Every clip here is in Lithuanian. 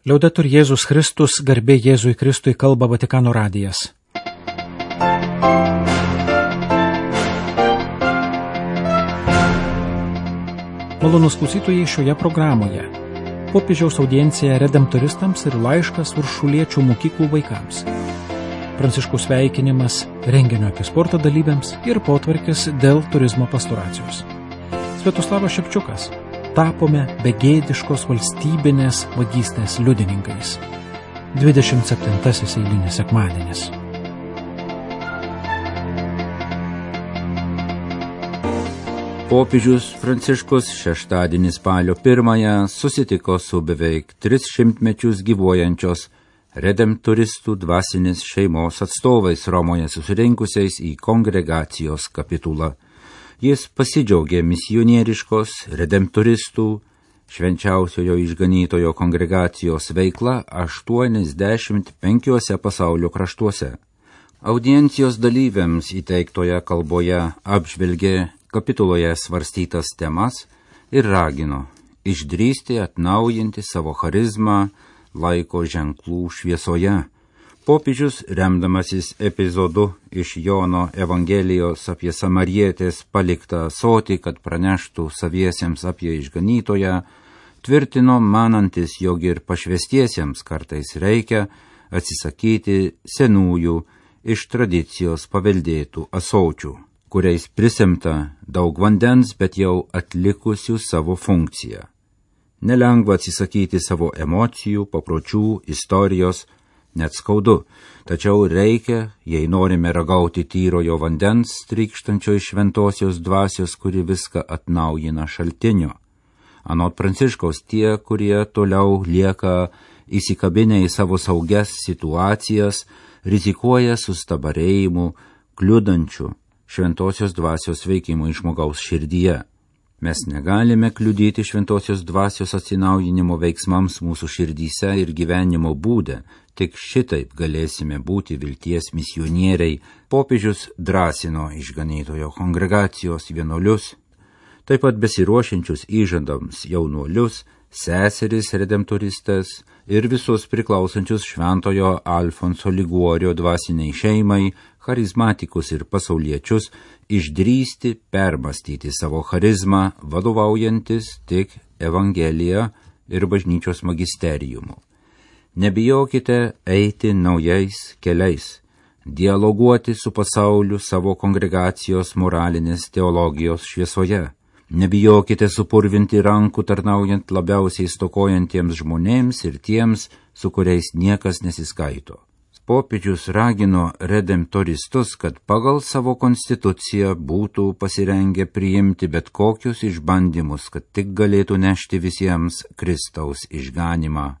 Liaudetur Jėzus Kristus, garbė Jėzui Kristui, kalba Vatikano radijas. Malonūs klausytojai, šioje programoje popiežiaus audiencija redemptoristams ir laiškas Uršuliečių mokyklų vaikams. Pranciškaus sveikinimas renginio apie sporto dalyviams ir potvarkis dėl turizmo pastoracijos. Sviatoslavas Šepčiukas. Tapome begėdiškos valstybinės vagystės liudininkais. 27 eilinis sekmadienis. Popiežius Pranciškus šeštadienį spalio 1 susitiko su beveik 300 mečius gyvuojančios redemptoristų dvasinės šeimos atstovais Romoje susirinkusiais į kongregacijos kapitulą. Jis pasidžiaugė misionieriškos redemptoristų švenčiausiojo išganytojo kongregacijos veikla 85 pasaulio kraštuose. Audiencijos dalyviams įteiktoje kalboje apžvelgė kapituloje svarstytas temas ir ragino išdrįsti atnaujinti savo charizmą laiko ženklų šviesoje. Popiežius, remdamasis epizodu iš Jono Evangelijos apie samarietės paliktą ąsotį, kad praneštų saviesiems apie išganytoją, tvirtino manantis, jog ir pašvestiesiems kartais reikia atsisakyti senųjų iš tradicijos paveldėtų ąsočių, kuriais prisemta daug vandens, bet jau atlikusių savo funkciją. Nelengva atsisakyti savo emocijų, papročių, istorijos, net skaudu, tačiau reikia, jei norime ragauti tyrojo vandens, trykštančio iš šventosios dvasios, kuri viską atnaujina šaltinio. Anot Pranciškaus, tie, kurie toliau lieka įsikabinę į savo saugias situacijas, rizikuoja sustabarėjimu, kliudančiu šventosios dvasios veikimui žmogaus širdyje. Mes negalime kliudyti šventosios dvasios atsinaujinimo veiksmams mūsų širdyse ir gyvenimo būde, tik šitaip galėsime būti vilties misionieriai. Popiežius drąsino išganytojo kongregacijos vienuolius, taip pat besiruošiančius įžadams jaunuolius, seseris redemptoristas ir visus priklausančius šventojo Alfonso Liguorio dvasiniai šeimai, charizmatikus ir pasauliečius, išdrįsti permastyti savo charizmą, vadovaujantis tik Evangelija ir bažnyčios magisteriumu. Nebijokite eiti naujais keliais, dialoguoti su pasauliu savo kongregacijos moralinės teologijos šviesoje. Nebijokite supurvinti rankų tarnaujant labiausiai stokojantiems žmonėms ir tiems, su kuriais niekas nesiskaito. Popiežius ragino redemptoristus, kad pagal savo konstituciją būtų pasirengę priimti bet kokius išbandymus, kad tik galėtų nešti visiems Kristaus išganymą.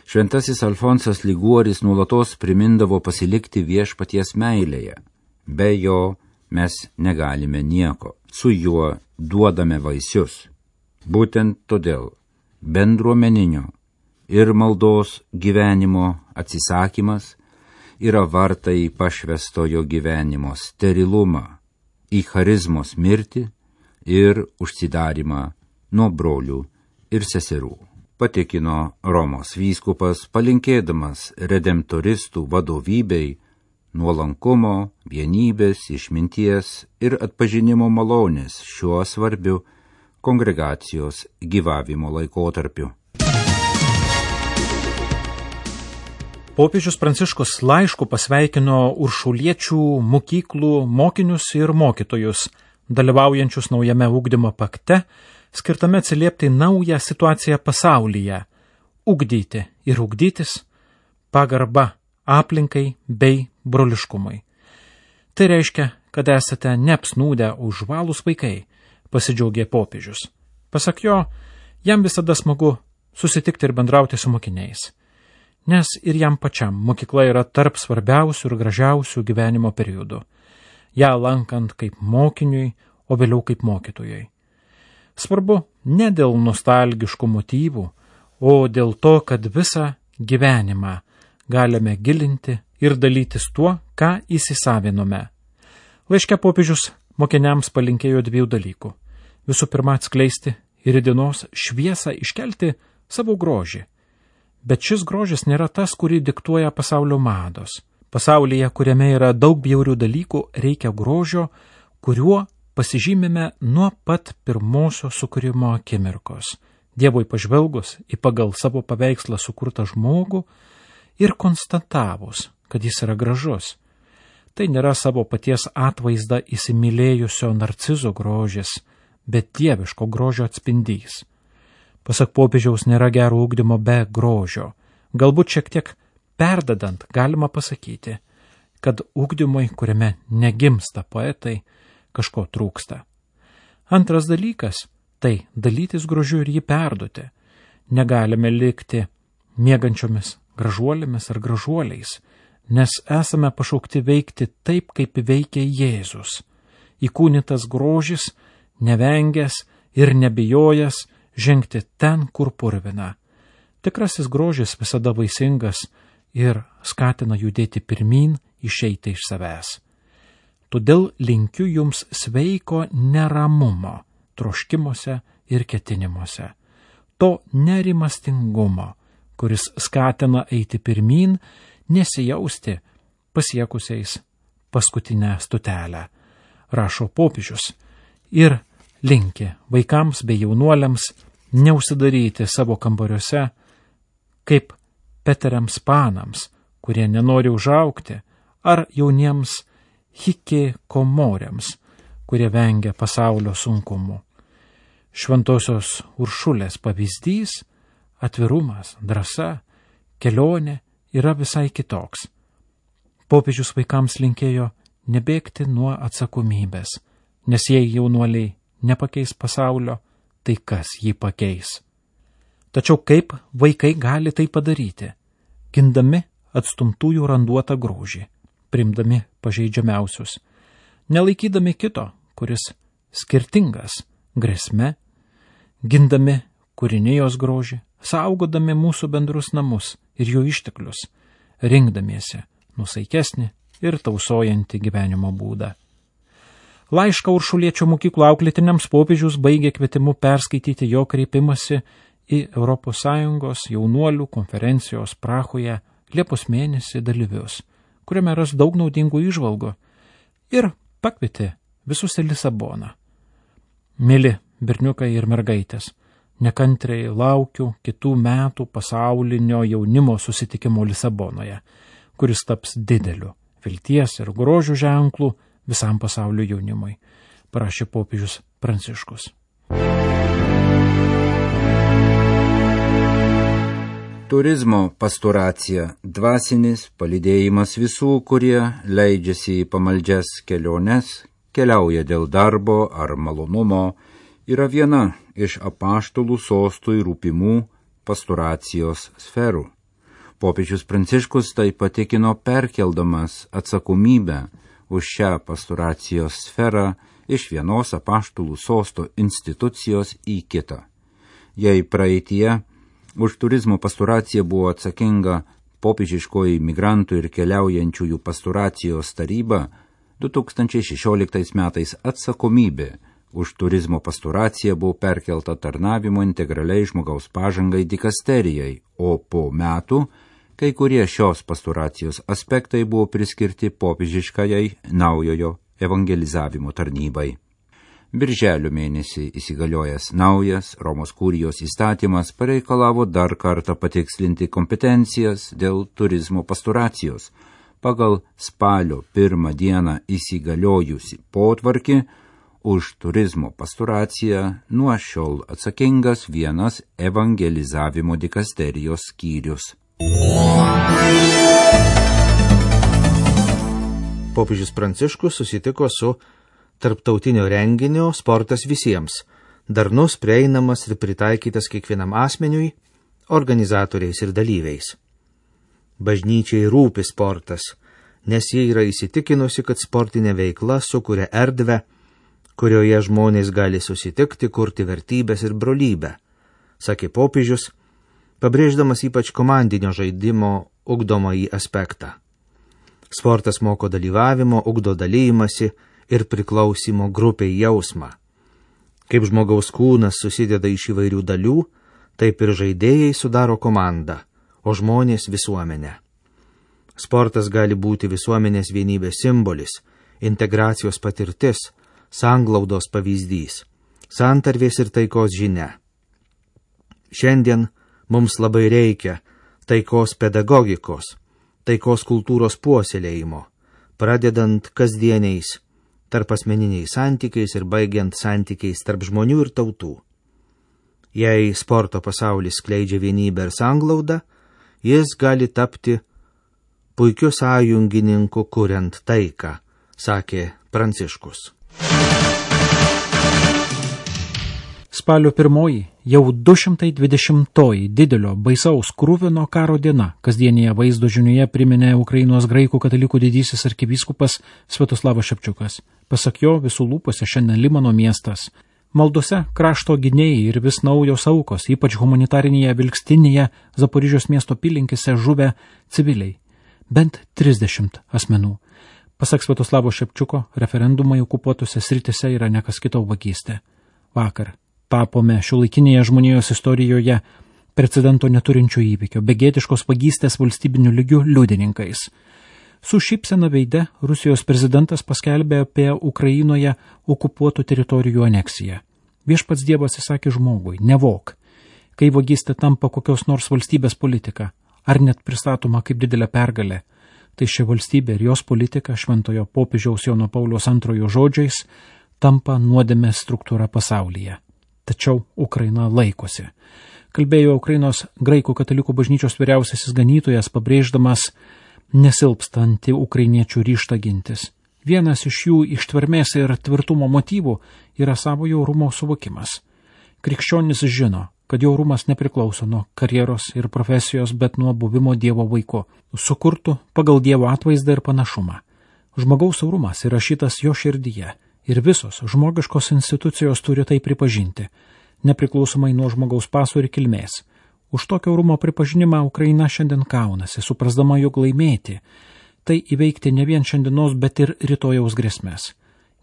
Šventasis Alfonsas Liguoris nuolatos primindavo pasilikti viešpaties meilėje. Be jo mes negalime nieko, su juo duodame vaisius. Būtent todėl bendruomeninio ir maldos gyvenimo atsisakymas yra vartai į pašvestojo gyvenimo sterilumą, į charizmos mirtį ir užsidarimą nuo brolių ir seserų. Patikino Romos vyskupas, palinkėdamas redemptoristų vadovybei nuolankumo, vienybės, išminties ir atpažinimo malonės šiuo svarbiu kongregacijos gyvavimo laikotarpiu. Popiežius Pranciškus laišku pasveikino Uršuliečių mokyklų mokinius ir mokytojus, dalyvaujančius naujame ugdymo pakte, skirtame atsiliepti naują situaciją pasaulyje, ugdyti ir ugdytis, pagarba aplinkai bei broliškumui. Tai reiškia, kad esate neapsnūdę užvalūs vaikai, pasidžiaugė popiežius. Pasak jo, jam visada smagu susitikti ir bendrauti su mokiniais, nes ir jam pačiam mokykla yra tarp svarbiausių ir gražiausių gyvenimo periodų, ją lankant kaip mokiniui, o vėliau kaip mokytojui. Svarbu ne dėl nostalgiškų motyvų, o dėl to, kad visą gyvenimą galime gilinti ir dalytis tuo, ką įsisavinome. Laiške popiežius mokiniams palinkėjo 2 dalykų. Visų pirma, atskleisti ir į dienos šviesą iškelti savo grožį. Bet šis grožis nėra tas, kurį diktuoja pasaulio mados. Pasaulyje, kuriame yra daug bjaurių dalykų, reikia grožio, kuriuo pasižymime nuo pat pirmosios sukūrimo akimirkos. Dievui pažvelgus į pagal savo paveikslą sukurtą žmogų ir konstatavus, kad jis yra gražus. Tai nėra savo paties atvaizdą įsimylėjusio narcizo grožis, bet dieviško grožio atspindys. Pasak popiežiaus, nėra gero ugdymo be grožio. Galbūt šiek tiek perdedant galima pasakyti, kad ugdymui, kuriame negimsta poetai, kažko trūksta. Antras dalykas – tai dalytis grožiu ir jį perduoti. Negalime likti miegančiomis gražuolėmis ar gražuoliais, nes esame pašaukti veikti taip, kaip veikia Jėzus. Įkūnytas grožis, nevengęs ir nebijojęs žengti ten, kur purvina. Tikrasis grožis visada vaisingas ir skatina judėti pirmyn, išeiti iš savęs. Todėl linkiu jums sveiko neramumo, troškimuose ir ketinimuose. To nerimastingumo, kuris skatina eiti pirmyn, nesijausti pasiekusiais paskutinę stotelę, rašo popiežius, ir linki vaikams bei jaunuoliams neužsidaryti savo kambariuose kaip peteriams panams, kurie nenori užaugti, ar jauniems hikikomoriams, kurie vengia pasaulio sunkumų. Šventosios Uršulės pavyzdys, atvirumas, drąsa, kelionė yra visai kitoks. Popiežius vaikams linkėjo nebėgti nuo atsakomybės, nes jei jaunuoliai nepakeis pasaulio, tai kas jį pakeis. Tačiau kaip vaikai gali tai padaryti? Gindami atstumtųjų randuotą grožį, priimdami pažeidžiamiausius, nelaikydami kito, kuris skirtingas, grėsme, gindami kūrinijos grožį, saugodami mūsų bendrus namus ir jų išteklius, rinkdamiesi nusaikesnį ir tausojantį gyvenimo būdą. Laišką Uršuliečio mokyklų auklėtiniams popiežius baigė kvietimu perskaityti jo kreipimąsi į ES jaunuolių konferencijos Prahoje Liepos mėnesį dalyvius, kuriame ras daug naudingų įžvalgų, ir pakvietė visus į Lisaboną. Mili berniukai ir mergaitės, nekantriai laukiu kitų metų pasaulinio jaunimo susitikimo Lisabonoje, kuris taps dideliu vilties ir grožio ženklų visam pasaulio jaunimui, parašė popiežius Pranciškus. Turizmo pastoracija – dvasinis palydėjimas visų, kurie leidžiasi į pamaldžias keliones, keliauja dėl darbo ar malonumo, yra viena iš apaštalų sostui rūpimų pastoracijos sferų. Popiežius Pranciškus tai patikino perkeldamas atsakomybę už šią pastoracijos sferą iš vienos apaštalų sosto institucijos į kitą. Jei praeityje už turizmo pastoraciją buvo atsakinga popiežiškoji migrantų ir keliaujančiųjų pastoracijos taryba, 2016 metais atsakomybė už turizmo pastoraciją buvo perkelta tarnavimo integraliai žmogaus pažangai dikasterijai, o po metų kai kurie šios pastoracijos aspektai buvo priskirti popiežiškajai naujojo evangelizavimo tarnybai. Birželio mėnesį įsigaliojęs naujas Romos kurijos įstatymas pareikalavo dar kartą patikslinti kompetencijas dėl turizmo pastoracijos. Pagal spalio 1 dieną įsigaliojusi potvarkį už turizmo pastoraciją nuo šiol atsakingas vienas evangelizavimo dikasterijos skyrius. Popiežius Pranciškus susitiko su tarptautinio renginio Sportas visiems, darnus, prieinamas ir pritaikytas kiekvienam asmeniui, organizatoriais ir dalyviais. Bažnyčiai rūpi sportas, nes jie yra įsitikinusi, kad sportinė veikla sukuria erdvę, kurioje žmonės gali susitikti, kurti vertybės ir brolybę, sakė popiežius, pabrėždamas ypač komandinio žaidimo ugdomąjį aspektą. Sportas moko dalyvavimo, ugdo dalymasi ir priklausimo grupiai jausmą. Kaip žmogaus kūnas susideda iš įvairių dalių, taip ir žaidėjai sudaro komandą, o žmonės visuomenę. Sportas gali būti visuomenės vienybės simbolis, integracijos patirtis, sanglaudos pavyzdys, santarvės ir taikos žinia. Šiandien mums labai reikia taikos pedagogikos, taikos kultūros puoselėjimo, pradedant kasdieniais tarpasmeniniais santykiais ir baigiant santykiais tarp žmonių ir tautų. Jei sporto pasaulis skleidžia vienybę ir sanglaudą, jis gali tapti puikiu sąjungininku kuriant taiką, sakė Pranciškus. Spalio 1 jau 220 didelio baisaus kruvino karo diena kasdienėje vaizdo žinioje priminė Ukrainos graikų katalikų didysis arkivyskupas Sviatoslavas Šepčiukas. Pasak jo, visų lūpose šiandien Limano miestas. Maldose krašto gynėjai ir vis naujos aukos, ypač humanitarinėje Vilkstinėje Zaporižios miesto apylinkėse žuvę civiliai. Bent 30 asmenų. Pasak Sviatoslavo Šepčiuko, referendumai okupuotose sritise yra nekas kito vagystė. Vakar tapome šiuolaikinėje žmonijos istorijoje precedento neturinčio įvykio, begėdiškos vagystės valstybinių lygių liudininkais. Su šypsena veide Rusijos prezidentas paskelbė apie Ukrainoje okupuotų teritorijų aneksiją. Viešpats Dievas įsakė žmogui, nevok. Kai vagystė tampa kokios nors valstybės politika, ar net pristatoma kaip didelė pergalė, tai ši valstybė ir jos politika šventojo popiežiaus Jono Pauliaus II žodžiais tampa nuodėmės struktūra pasaulyje. Tačiau Ukraina laikosi. Kalbėjo Ukrainos graikų katalikų bažnyčios vyriausiasis ganytojas, pabrėždamas nesilpstantį ukrainiečių ryžtą gintis. Vienas iš jų ištvermės ir tvirtumo motyvų yra savojo orumo suvokimas. Krikščionis žino, kad jo orumas nepriklauso nuo karjeros ir profesijos, bet nuo buvimo Dievo vaiku, sukurtų pagal Dievo atvaizdą ir panašumą. Žmogaus orumas įrašytas jo širdyje. Ir visos žmogiškos institucijos turi tai pripažinti, nepriklausomai nuo žmogaus paso ir kilmės. Už tokio orumo pripažinimą Ukraina šiandien kaunasi, suprasdama, jog laimėti, tai įveikti ne vien šiandienos, bet ir rytojaus grėsmės.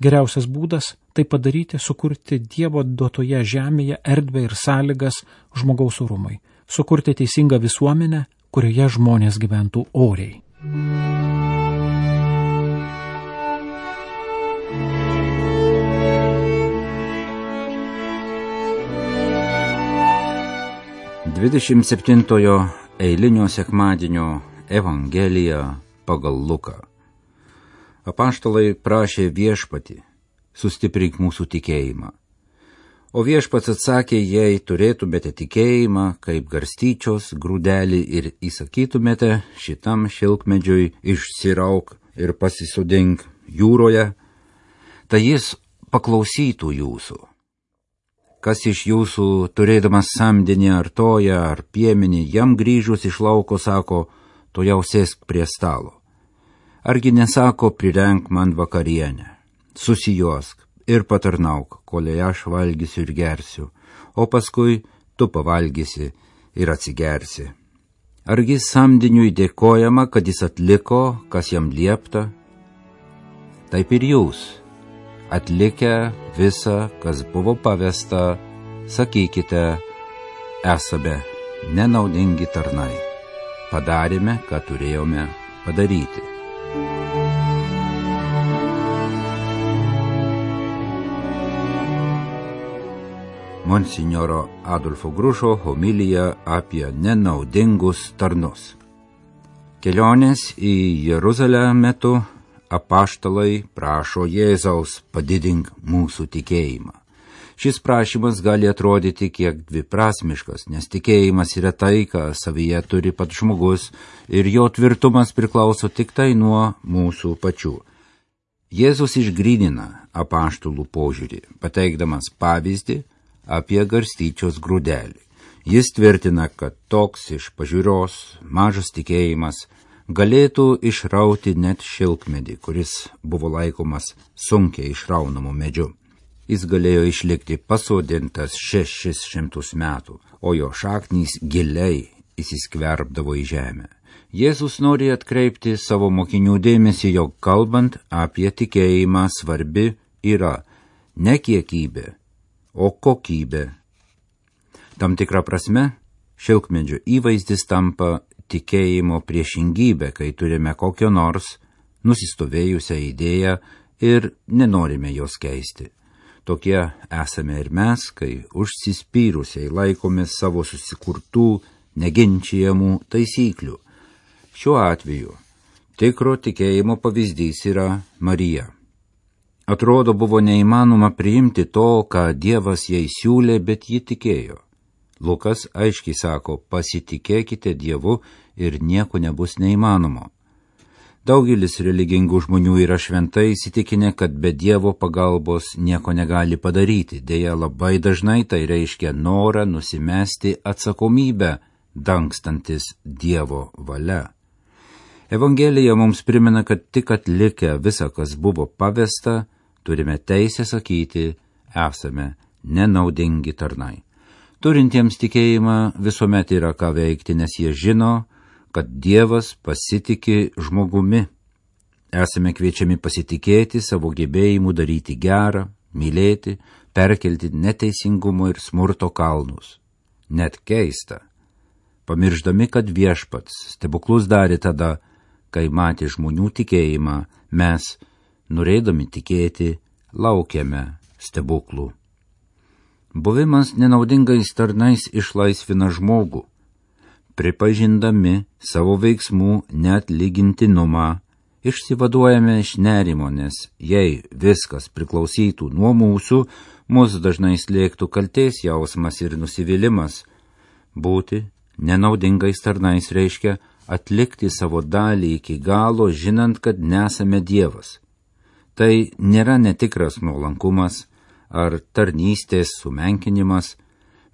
Geriausias būdas tai padaryti, sukurti Dievo duotoje žemėje erdvę ir sąlygas žmogaus orumui, sukurti teisingą visuomenę, kurioje žmonės gyventų oriai. Dvidešimt 27 eilinio sekmadienio Evangelija pagal Luką. Apaštalai prašė viešpatį, sustiprink mūsų tikėjimą. O viešpats atsakė, jei turėtumėte tikėjimą, kaip garstyčios grūdelį ir įsakytumėte šitam šilkmedžiui išsirauk ir pasisodink jūroje, tai jis paklausytų jūsų. Kas iš jūsų, turėdamas samdinį ar toją ar piemenį, jam grįžus iš lauko sako, tu jau sėsk prie stalo. Argi nesako, prirenk man vakarienę, susijuosk ir patarnauk, kol aš valgysiu ir gersiu, o paskui tu pavalgysi ir atsigersi. Argi samdiniui dėkojama, kad jis atliko, kas jam liepta? Taip ir jūs. Atlikę visą, kas buvo pavesta, sakykite, esame nenaudingi tarnai. Padarėme, ką turėjome padaryti. Monsinjoro Adolfo Grušo homilija apie nenaudingus tarnus. Kelionės į Jeruzalę metu apaštalai prašo Jėzaus padidink mūsų tikėjimą. Šis prašymas gali atrodyti kiek dviprasmiškas, nes tikėjimas yra tai, ką savyje turi pats žmogus ir jo tvirtumas priklauso tik tai nuo mūsų pačių. Jėzus išgrynina apaštalų požiūrį, pateikdamas pavyzdį apie garstyčios grūdelį. Jis tvirtina, kad toks iš pažiūros mažas tikėjimas galėtų išrauti net šilkmedį, kuris buvo laikomas sunkiai išraunamu medžiu. Jis galėjo išlikti pasodintas 600 metų, o jo šaknys giliai įsiskverbdavo į žemę. Jėzus nori atkreipti savo mokinių dėmesį, jog kalbant apie tikėjimą svarbi yra ne kiekybė, o kokybė. Tam tikra prasme, šilkmedžio įvaizdis tampa tikėjimo priešingybė, kai turime kokio nors nusistovėjusią idėją ir nenorime jos keisti. Tokie esame ir mes, kai užsispyrusiai laikomės savo susikurtų, neginčijamų taisyklių. Šiuo atveju tikro tikėjimo pavyzdys yra Marija. Atrodo, buvo neįmanoma priimti to, ką Dievas jai siūlė, bet ji tikėjo. Lukas aiškiai sako, pasitikėkite Dievu ir nieko nebus neįmanomo. Daugelis religingų žmonių yra šventai įsitikinę, kad be Dievo pagalbos nieko negali padaryti. Deja, labai dažnai tai reiškia norą nusimesti atsakomybę, dangstantis Dievo valia. Evangelija mums primena, kad tik atlikę visą, kas buvo pavesta, turime teisę sakyti, esame nenaudingi tarnai. Turintiems tikėjimą visuomet yra ką veikti, nes jie žino, kad Dievas pasitiki žmogumi. Esame kviečiami pasitikėti savo gebėjimu daryti gerą, mylėti, perkelti neteisingumo ir smurto kalnus. Net keista, pamirždami, kad Viešpats stebuklus darė tada, kai matė žmonių tikėjimą, mes, norėdami tikėti, laukiame stebuklų. Buvimas nenaudingais tarnais išlaisvina žmogų. Pripažindami savo veiksmų neatlygintinumą, išsivaduojame iš nerimo, nes jei viskas priklausytų nuo mūsų, mus dažnai slėgtų kaltės jausmas ir nusivylimas. Būti nenaudingais tarnais reiškia atlikti savo dalį iki galo, žinant, kad nesame Dievas. Tai nėra netikras nuolankumas ar tarnystės sumenkinimas,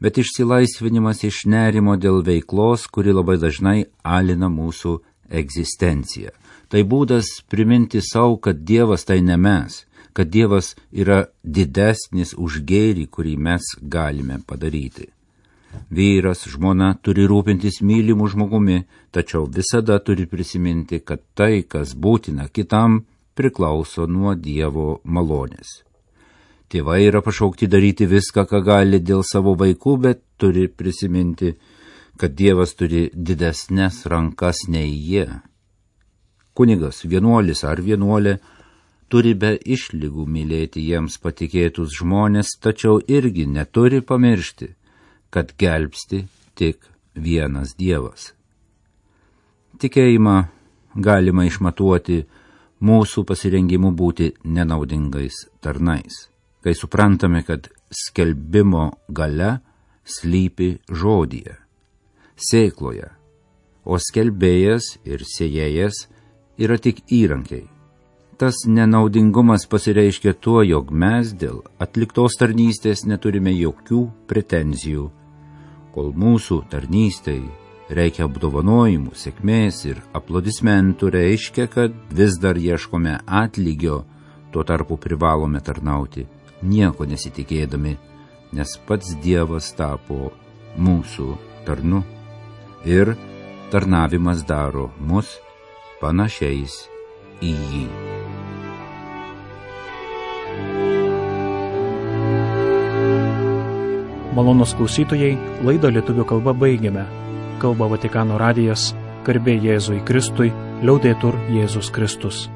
bet išsilaisvinimas iš nerimo dėl veiklos, kuri labai dažnai alina mūsų egzistenciją. Tai būdas priminti savo, kad Dievas tai ne mes, kad Dievas yra didesnis už gėrį, kurį mes galime padaryti. Vyras, žmona turi rūpintis mylimu žmogumi, tačiau visada turi prisiminti, kad tai, kas būtina kitam, priklauso nuo Dievo malonės. Tėvai yra pašaukti daryti viską, ką gali dėl savo vaikų, bet turi prisiminti, kad Dievas turi didesnes rankas nei jie. Kunigas, vienuolis ar vienuolė turi be išlygų mylėti jiems patikėtus žmonės, tačiau irgi neturi pamiršti, kad gelbsti tik vienas Dievas. Tikėjimą galima išmatuoti mūsų pasirengimu būti nenaudingais tarnais, kai suprantame, kad skelbimo galia slypi žodyje, sėkloje, o skelbėjas ir sėjėjas yra tik įrankiai. Tas nenaudingumas pasireiškia tuo, jog mes dėl atliktos tarnystės neturime jokių pretenzijų, kol mūsų tarnystei reikia apdovanojimų, sėkmės ir aplodismentų, reiškia, kad vis dar ieškome atlygio, tuo tarpu privalome tarnauti, nieko nesitikėdami, nes pats Dievas tapo mūsų tarnu ir tarnavimas daro mus panašiais į jį. Malonūs klausytojai, laidą lietuvių kalba baigiame. Kalba Vatikano radijas, garbė Jėzui Kristui, liaudetur Jėzus Kristus.